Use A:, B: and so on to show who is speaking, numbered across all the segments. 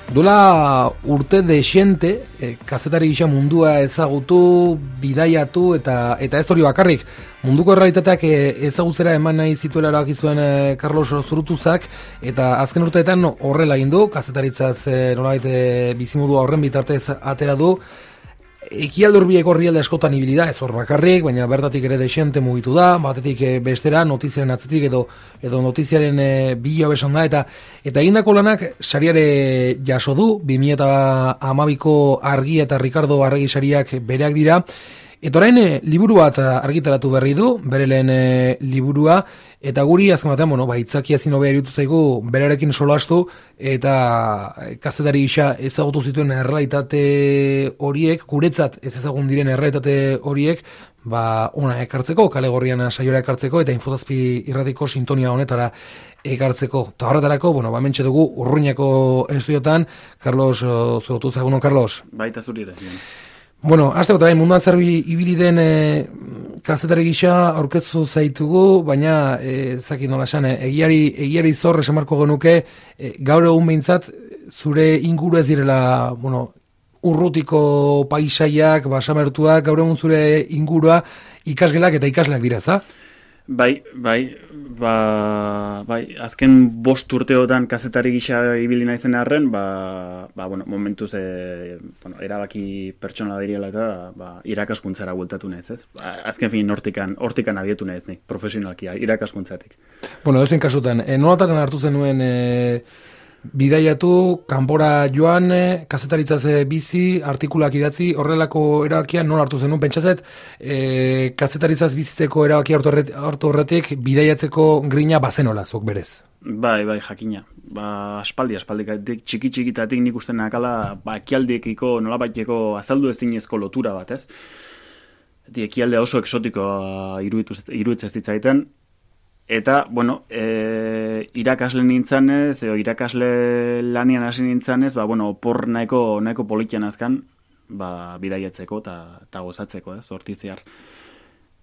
A: Duela urte dexente, kazetari gisa mundua ezagutu, bidaiatu eta ez hori bakarrik. Munduko errealitateak ezagutzera eman nahi zituela erabaki zuen Carlos Zurutuzak, eta azken urteetan horrela egin du, kazetaritzaz nolabait bizimodua horren bitartez atera du. Ekialde hurbileko herrialde askotan ibili da, ez hor bakarrik, baina bertatik ere dexente mugitu da, batetik bestera, notiziaren atzetik edo notiziaren bila besan da, eta egindako lanak sariare jaso du, 2012ko Argi eta Ricardo Arregi sariak bereak dira, eta orain liburu bat argitaratu berri du, bere lehen liburua, eta guri azken batean, itzakia ezin hobea iruditu zaigu berarekin solastu, eta kazetari gisa ezagutu zituen errealitate horiek, guretzat ez ezagun diren errealitate horiek, ona ekartzeko, kale gorrian saiora ekartzeko, eta Infozazpi irratiko sintonia honetara ekartzeko. Eta horretarako, hementxe dugu Urruñako estudiotan, Carlos Zurutuz, egunon, Carlos.
B: Baita zuri da.
A: Azteko eta munduan zerbi ibili den kazetari gisa aurkeztu zaitugu, baina zaki nola esan, egiari zor esamarko genuke, gaur egun behintzat zure inguru ez direla, urrutiko paisaiak, basamertuak, gaur egun zure ingurua ikasgelak eta ikasleak dira, za?
B: Bai, azken 5 urteotan kazetari gisa ibili naizen arren, momentuz erabaki pertsonala diriela eta irakaskuntzara bueltatu naiz, ez? Azken fin hortikan abietu naiz nik, profesionalki, irakaskuntzatik.
A: Edozein kasutan, nolatan hartu zenuen bidaiatu, kanpora joan, kazetaritzaz bizi, artikulak idatzi, horrelako erabakia nola hartu zenuen? Pentsazet, kazetaritzaz bizitzeko erabakia hartu horretik, bidaiatzeko grina bazenola, zok berez.
B: Bai, jakina. Aspaldikatik, txiki-txikitatik nik uste nakala, ekialdiekiko, nolabaiteko azaldu ezinezko lotura bat, ez? Ekialdea oso eksotikoa iruditzen zitzaiten. Eta, irakasle nintzanez, irakasle lanian hasi nintzanez, opor nahiko politian azkan, bidaiatzeko eta gozatzeko, hortiziar.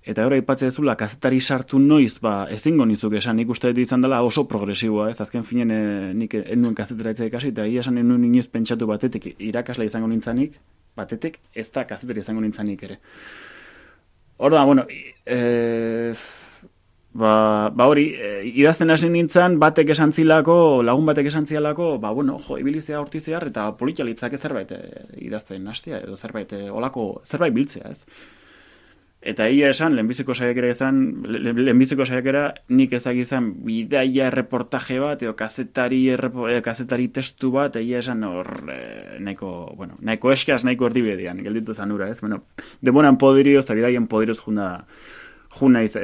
B: Eta hori aipatzea zula, kazetari sartu noiz, ezingo nizuk esan, nik uste izan dela oso progresiboa, ez? Azken finen nik enuen kazetaraitza ikasi, eta esan enuen inoiz pentsatu batetik irakasle izango nintzanik, batetik ez da kazetari izango nintzanik ere. Horda, hori, idazten hasi nintzen, lagun batek esan zilako, ibilizea hortizear eta politialitzak zerbait idazten hastea, edo zerbait biltzea, ez? Eta egia esan, lehenbiziko saiakera nik ezagizan bidaia erreportaje bat, edo kazetari testu bat, egia esan nahiko eskaz, nahiko erdibedian, gelditu zanura, ez? Demoran podirioz eta bidaien podirioz junaiz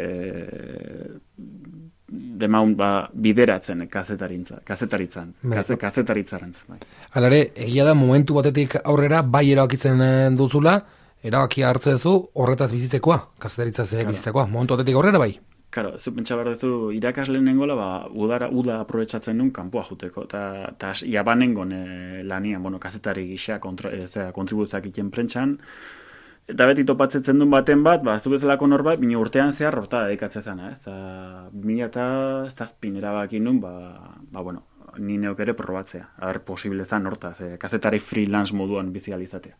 B: demaun bideratzen kazetaritzan.
A: Halare, egia da momentu batetik aurrera bai erabakitzen duzula, erabakia hartzen duzu horretaz bizitzekoa, kazetaritzaz bizitzekoa, momentu batetik aurrera bai.
B: Karo, zu pentsa behar duzu irakasleen nengola, uda aprobetsatzen duen kanpoa juteko, eta jabanengon lanian, kazetari gisa kontribuzak iten prentxan, eta beti topatzetzen duen baten bat, zu bezalako norbait, bine urtean zehar horta dedikatzen ez? Eta 2007 erabakin duen, ni neok ere probatzea. Posible zan hortaz, kazetari freelance moduan bizializatea.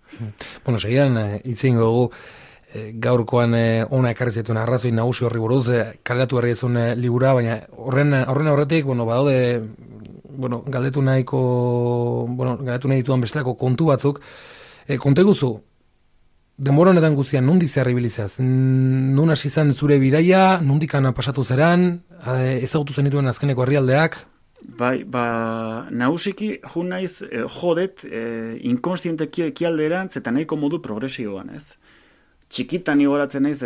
A: Segidan, itzin gogu, gaurkoan ona ekarri zituen arrazoi nagusi horri buruz, kaleratu berri ezun libura, baina horren aurretik, badaude, galdetu nahi dituan bestelako kontu batzuk, kontu guzu, denbora honetan guztian, nundi zehar ibilizaz? Nun hasi izan zure bidaia, nundikan pasatu zeran, ezagutu zenituen azkeneko herrialdeak?
B: Bai, nagusiki naiz jodet inkonstienteki ekialderantz eta nahiko modu progresioan, ez? Txikitan igoratzen naiz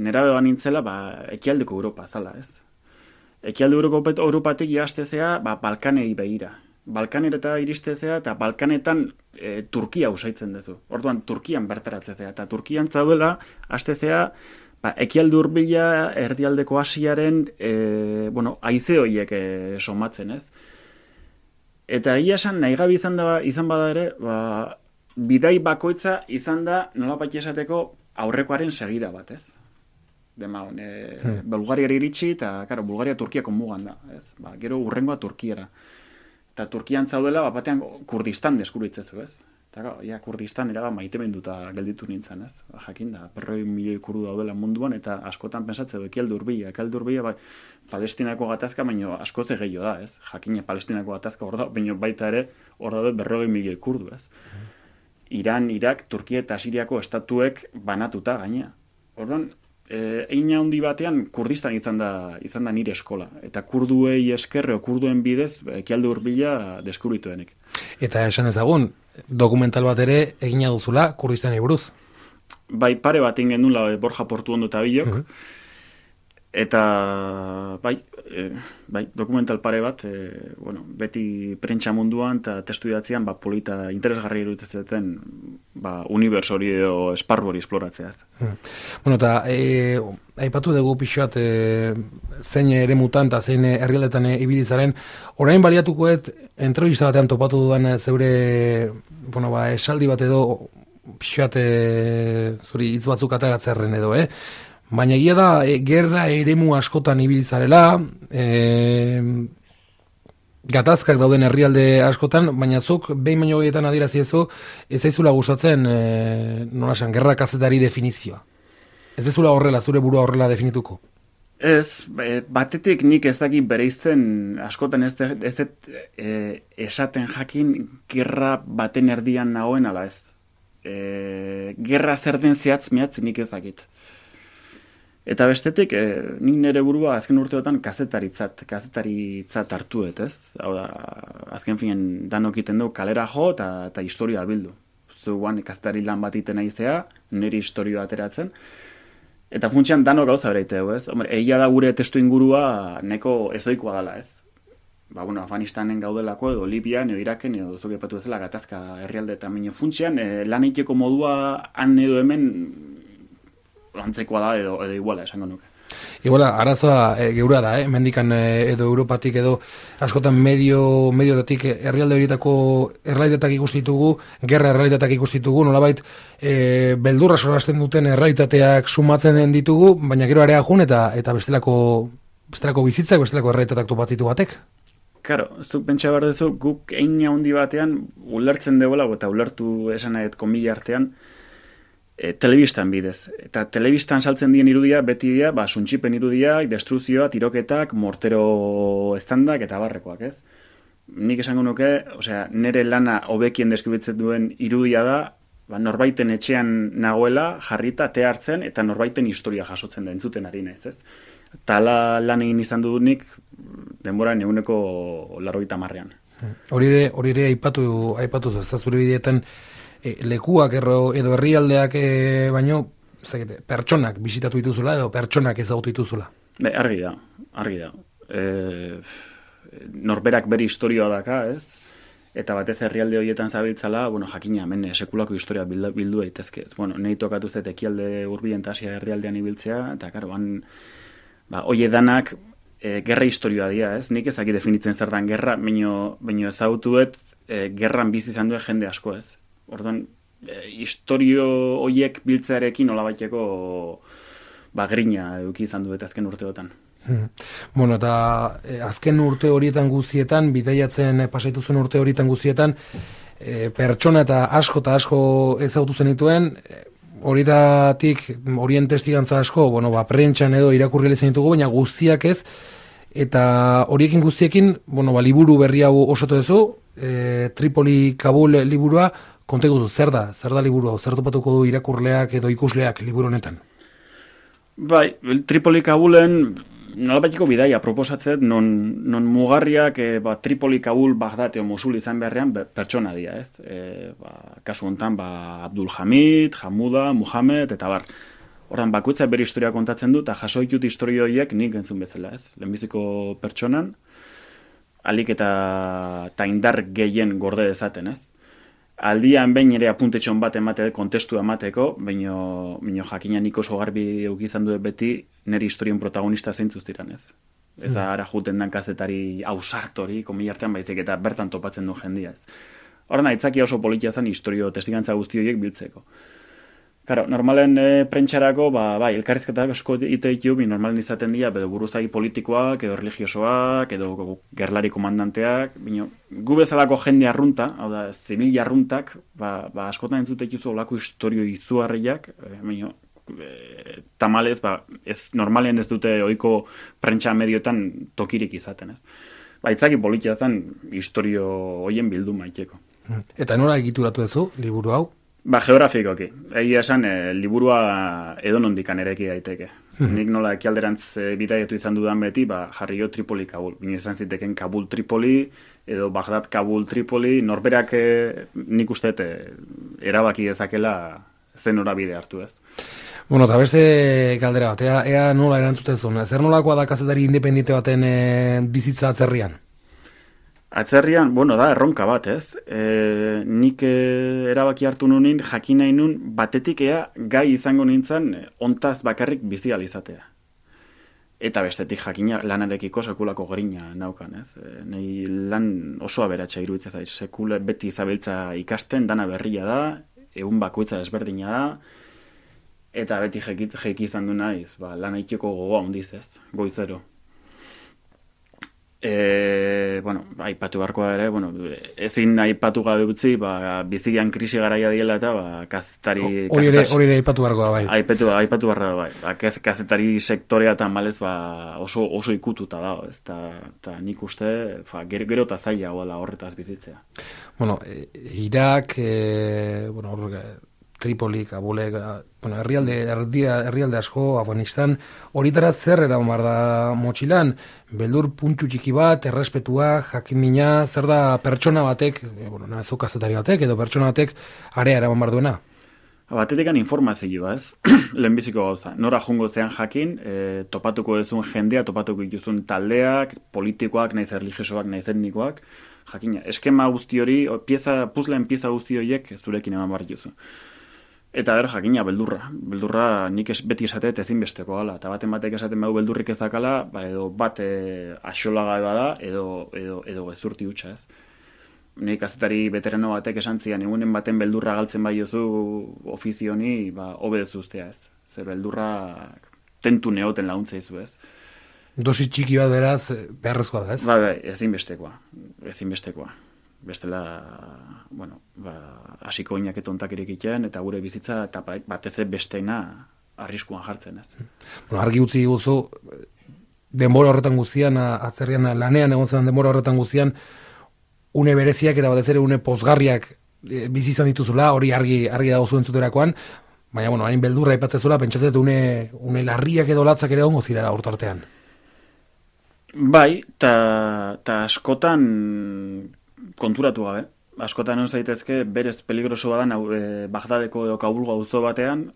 B: nerabe banintzela ekialdeko Europa zala, ez? Ekialde Europatik jastezea Balkanei begira. Balkanera iristezea eta Balkanetan Turkia usaitzen duzu. Orduan Turkian bertaratzezea eta Turkian zaudela hastezea ekialde hurbila erdialdeko Asiaren haize horiek somatzen, ez? Eta egia esan nahigabe izan bada ere, bidai bakoitza izan da nolabait esateko aurrekoaren segida bat, ez? Bulgariara iritsi eta Bulgaria Turkiako mugan da, ez? Gero hurrengoa Turkiara. eta Turkian zaudela, batean Kurdistan deskubritzen ez? Eta Kurdistan erabat maitemenduta gelditu nintzen, ez? Jakin da, 100 milioi kurdu daudela munduan, eta askotan pensatzeu, ekialde hurbila, bai, Palestinako gatazka, baino askoz gehiago da, ez? Jakina Palestinako gatazka hor da, baino baita ere hor daude 100 milioi kurdu, ez? Iran, Irak, Turkia eta Siriako estatuek banatuta gaina. Orduan, Eina handi batean Kurdistan izan da nire eskola. Eta kurduei eskerre o kurduen bidez ekialde hurbila deskubritu denik.
A: Eta esan ezagun, dokumental bat ere egina duzula Kurdistani buruz.
B: Bai, pare bat ingen nula Borja Portuondo eta bilok. Eta bai, dokumental pare bat, beti prentsa munduan eta testu idatzean polita interesgarri iruditzaten uniberso hori edo esparru hori esploratzea.
A: Bueno, eta aipatu dugu pixoat zein ere mutan eta zein herrialdetan ibilizaren, orain baliatukoet entrevista batean topatu dudan zeure esaldi bat edo pixoat zuri hitz batzuk ateratzerren edo, baina egia da, gerra eremu askotan ibilizarela, gatazkak dauden herrialde askotan, baina zuk behin baino gehietan adieraziezu, ez zaizula gustatzen, nolasan, gerra kazetari definizioa. Ez ezula horrela, zure burua horrela definituko?
B: Ez, batetik nik ez dakit bereizten askotan ez esaten jakin gerra baten erdian nagoen ala ez. Gerra zer den zehatz mehatz nik ez dakit. Eta bestetik, nik nire burua azken urteotan kazetaritza hartuet, ez? Hau da, azken finen danok iten du kalera jo eta historia bildu. Zuguan kazetari lan bat iten aizea, nire historioa ateratzen. Eta funtsian danok gauza bereiteu, ez? Hombre, egia da gure testu ingurua neko ezoikoa dela, ez? Afganistanen gaudelako edo Libian edo Iraken edo zuke patu ezela gatazka herrialde eta minio funtsian, lan egiteko modua han edo hemen antzekoa da edo iguala esango nuke.
A: Iguala, arazoa geura da, mendikan edo Europatik edo askotan mediotatik herrialde horietako errealitateak ikustitugu, gerra errealitateak ikustitugu, nolabait beldurra sorasten duten errealitateak sumatzen den ditugu, baina gero area jun eta bestelako bizitzak, bestelako errealitateak topatzitu batek.
B: Karo, zuk pentsa behar duzu, guk egin handi batean ulertzen debola, eta ulertu esan nahet komila artean, telebistan bidez. Eta telebistan saltzen dien irudia, beti dira, suntxipen irudia, destruzioa, tiroketak, mortero estandak eta barrekoak, ez? Nik esango nuke, nire lana hobekien deskribitzen duen irudia da, norbaiten etxean nagoela, jarrita, te hartzen, eta norbaiten historia jasotzen da, entzuten ari naiz, ez? Eta lan egin izan dudunik, denboran eguneko 80.
A: Hori ere aipatu ez da zure bideetan, lekuak edo herrialdeak baino pertsonak bisitatu dituzula edo pertsonak ezagutu dituzula.
B: Argi da. Norberak bere historioa daka, ez? Eta batez herrialde horietan zabiltzala, jakina, hemen sekulako historia bildu daitezke. Nahi tokatu zet ekialde hurbilen eta Asia herrialdean ibiltzea, eta karo, hoie danak gerra historioa dira, ez? Nik ezaki definitzen zer dan gerra, baino ezagutuet gerran bizi izan duen jende asko, ez? Orduan, historio horiek biltzearekin nolabaiteko grina eduki izan duet azken urteotan.
A: Eta azken urte horietan guztietan, bidaiatzen pasaituzuen urte horietan guztietan, pertsona eta asko ezagutu zenituen, horietatik, horien testigantza asko, prentxan edo irakurri lezen ditugu, baina guztiak ez, eta horiekin guztiekin, liburu berri hau osatu duzu, Tripoli Kabul liburua, kontegu zer da liburu hau, zer topatuko du irakurleak edo ikusleak liburu honetan?
B: Bai, Tripoli Kabulen nolabaiteko bidaia proposatzet, non mugarriak Tripoli Kabul Bagdad edo Mosul izan beharrean pertsona dira, ez? Kasu honetan, Abdul Hamid, Hamuda, Muhammad, eta bar. Horran, bakoitza bere historia kontatzen du, eta jaso ditut historio horiek nik entzun bezala, ez? Lehenbiziko pertsonan, alik eta indar gehien gorde dezaten, ez? Aldian behin ere apuntetxon bat emateko, kontestu emateko, baino jakina nik oso garbi eukizan du beti nire historien protagonista zeintzuz diran, ez? Ez da ara juten dan kazetari ausartori, komilartean baizik eta bertan topatzen du jendia, ez? Horren, aitzakia oso politia zen historio testigantza guzti horiek biltzeko. Claro, normalen prentxarako, bai, elkarrizketak asko iteitio, normalen izaten dira, edo buruzagi politikoak, edo religiosoak, edo gerlari komandanteak, gu bezalako jende arrunta, hau da, zibil arruntak, askotan entzutek juzu olako historio izugarriak, tamalez, ez normalen ez dute ohiko prentxa medioetan tokirik izaten, ez. Itzaki politia zen historio hoien bildu maiteko.
A: Eta nora egituratu duzu, liburu hau?
B: Geografikoki. Egia esan, liburua edonondikan ereki daiteke. Nik nola ekialderantz bidaiatu izan dudan beti, jarri jo Tripoli Kabul. Bino izan ziteken Kabul Tripoli, edo Bagdad Kabul Tripoli, norberak nik uste erabaki dezakela zen norabide hartu ez.
A: Bueno, eta beste galdera bat, ea nola erantzutezun. Zer nolakoa da kazetari independente baten bizitza atzerrian?
B: Atzerrian, da erronka bat, ez? Nik erabaki hartu nunin, jakin nahi nun, batetik gai izango nintzen ontaz bakarrik bizi alizatea. Eta bestetik jakina lanarekiko sekulako grina naukan, ez? Nei lan oso aberatsa iruditzen zait, sekula beti zabiltza ikasten, dana berria da, egun bakoitza desberdina da, eta beti jeki izan du naiz, lan aiteko gogoa hundiz ez, goitzero. Aipatu barkoa ere, ezin aipatu gabe utzi, bizigian krisi garaia diela eta kazetari...
A: Hori ere aipatu barkoa bai.
B: Aipatu barkoa bai. Kazetari sektorea eta malez oso ikututa da, eta nik uste gero eta zaila horretaz bizitzea.
A: Irak, Tripoli, Kabulek, herrialde asko, Afganistan, horitara zer eraman behar da motxilan, beldur puntu txiki bat, errespetua, jakimina, zer da pertsona batek, nahezu kazetari batek, edo pertsona batek area eraman behar duena?
B: Batetekan informazioa, ez? Lehenbiziko gauza. Nora jungo zean jakin, topatuko duzun jendea, topatuko dituzun taldeak, politikoak, naiz erligiosoak, naiz etnikoak, jakina. Eskema guzti hori, puzleen pieza guzti horiek zurekin eman behar dituzu. Eta jakina, beldurra nik beti esatet ezinbesteko gala, eta batek esaten bau beldurrik ez dakala, edo bat axolaga bada, edo gezurti hutsa ez. Nik kazetari veterano batek esan zian, egunen baten beldurra galtzen bai jozu ofizioni, hobedezu ustea ez. Ze beldurra tentu neoten laguntza izu ez.
A: Dosi txiki bat beraz, beharrezkoa da ez?
B: Ezinbestekoa. Bestela, hasiko inaket ontak irekitean, eta gure bizitza, eta batez besteena arriskuan jartzen, ez.
A: Argi utzi guzu, denbora horretan guztian, atzerrian lanean egon zen denbora horretan guztian, une bereziak eta batez ere une pozgarriak bizi izan dituzula, hori argi dago zuen zuterakoan, baina, hain beldurra aipatzezula, pentsatzet une larriak edo latzak ere ongo zirara hortartean.
B: Bai, eta askotan konturatu gabe. Askotan non zaitezke, berez peligroso badan Bagdadeko edo Kabulgo auzo batean,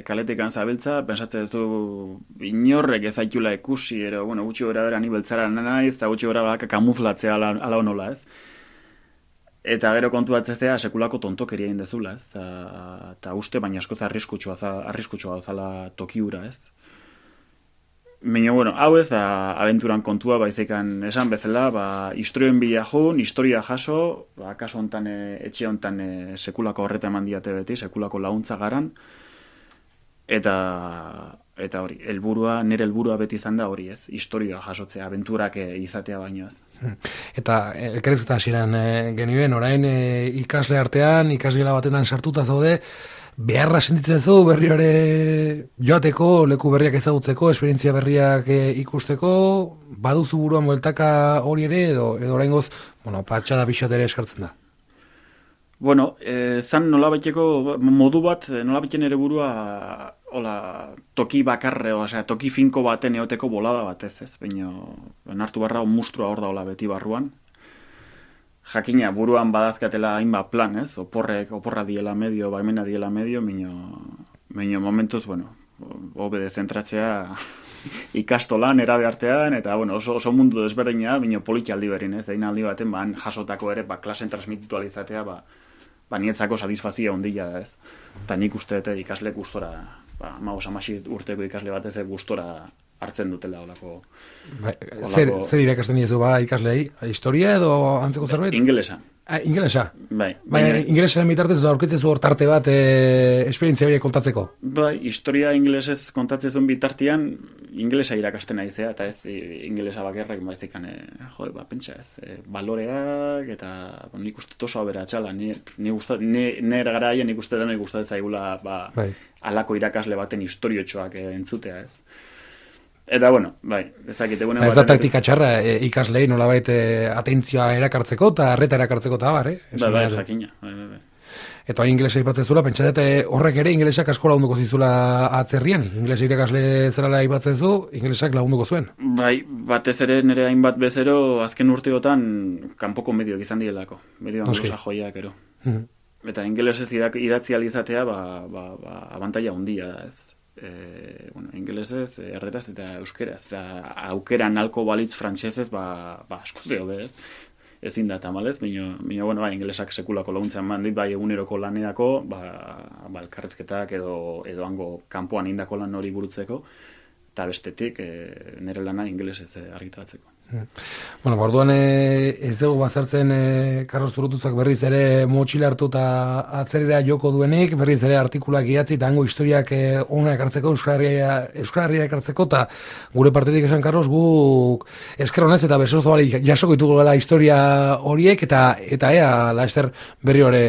B: kaletekan zabiltza, pensatzen duzu inorrek ezaitula ikusi, ero, gutxi gora bera ni beltzara naiz, eta gutxi gora baka kamuflatzea ala honola, ez? Eta gero kontuatzea sekulako tontokeria egin dezula, ez? Eta uste, baina askoz arriskutsua zala tokiura, ez? Baina, hau ez da abenturan kontua, baizekan esan bezala, historioen bila jun, historia jaso, kaso hontan, etxe hontan sekulako horreta eman diate beti, sekulako laguntza garan, eta hori, nire helburua beti izan da hori ez, historia jasotzea, abenturak izatea baino ez.
A: Eta elkarrizketa hasieran genioen, orain ikasle artean, ikasgela batetan sartuta zaude, beharra sentitzen zu berri hori joateko, leku berriak ezagutzeko, esperientzia berriak ikusteko, baduzu buruan bueltaka hori ere, edo oraingoz, patxada pixat ere eskartzen da.
B: Zan nolabaiteko modu bat, nolabaiten ere burua toki bakarre, toki finko baten eoteko bolada batez, ez? Baina, hartu barra, mustrua hor da beti barruan. Jakina, buruan badazkatela hainbat plan, ez? Oporra diela medio, baimena diela medio, minio momentuz, hobe dezentratzea ikastolan, erabe artean, eta oso mundu desberdina, minio politialdi berin, ez? Egin aldi baten, jasotako ere, klasen transmititu alizatea, nietzako satisfazia ondila da, ez? Eta nik uste ikasle gustora, 15 urteko ikasle batez gustora hartzen dutela olako.
A: Zer irakasten diezu ikaslei? Historia edo antzeko zerbait?
B: Ingelesa.
A: Ingelesa?
B: Bai.
A: Ingelesaren bitartez da aurkitzezu hor tarte bat esperientzia horiek kontatzeko?
B: Bai, historia ingelesez kontatzezun bitartean ingelesa irakasten naizea, eta ez ingelesa bakarrak baizikan, pentsa ez, baloreak, eta nik uste oso aberatxala, nire garaia nik uste dena ikustatzen zaigula alako irakasle baten historiotxoak entzutea ez. Eta, bueno, bai, ezakite gune...
A: Ez da taktika txarra ikaslei nolabait atentzioa erakartzeko eta arreta erakartzeko eta bar,
B: Bai, jakina.
A: Eta ingelesa ipatzezula, pentsatet horrek ere ingelesak asko lagunduko zizula atzerrian. Ingelesa irakasle zerala ipatzezu, ingelesak lagunduko zuen.
B: Bai, batez ere nire hainbat bezero azken urteotan kanpoko medioak izan dielako. Medio anglosa joiak ero. Eta ingelesez idatzi alizatea, abantaila handia da ez. Ingelesez, erderaz eta euskeraz, eta aukera nalko balitz frantsesez, asko zeo bez, ezin da tamalez, baina, ingelesak sekulako laguntzen mandit, bai eguneroko lanerako, elkarrezketak edo hango kanpoan indako lan hori burutzeko, eta bestetik nire lana ingelesez argitaratzeko.
A: Bueno, orduan ez dugu bazartzen Carlos Zurutuzak berriz ere motxila hartu eta atzerera joko duenik, berriz ere artikulak idatzi eta hango historiak ona ekartzeko, Euskal Herria ekartzeko, eta gure partetik esan, Carlos, guk esker honez eta besozo bali jasoko ditugu la historia horiek, eta ea, laester berri hori,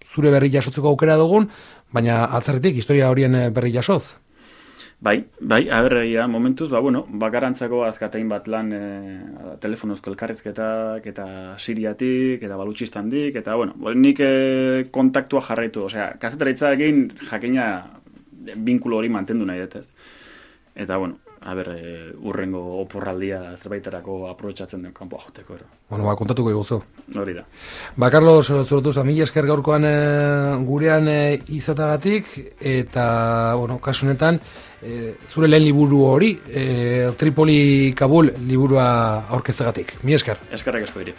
A: zure berri jasotzeko aukera dugun, baina atzerritik historia horien berri jasoz.
B: Bai, aberregia momentuz, bakarantzako azkatein bat lan telefonozko elkarrizketak eta siriatik, eta balutxistandik, eta nik kontaktua jarraitu, kazetaritza egin jakina binkulo hori mantendu nahi detez. Eta, urrengo oporraldia zerbaiterako aprobetxatzen den kanpoa joteko.
A: Kontatuko iguzu.
B: Hori da.
A: Carlos Zurutuz, mila esker gaurkoan gurean izatagatik, eta, kasu honetan, zure lehen liburu hori, Tripoli Kabul liburua aurkeztegatik. Mila esker.
B: Eskerrak asko diri.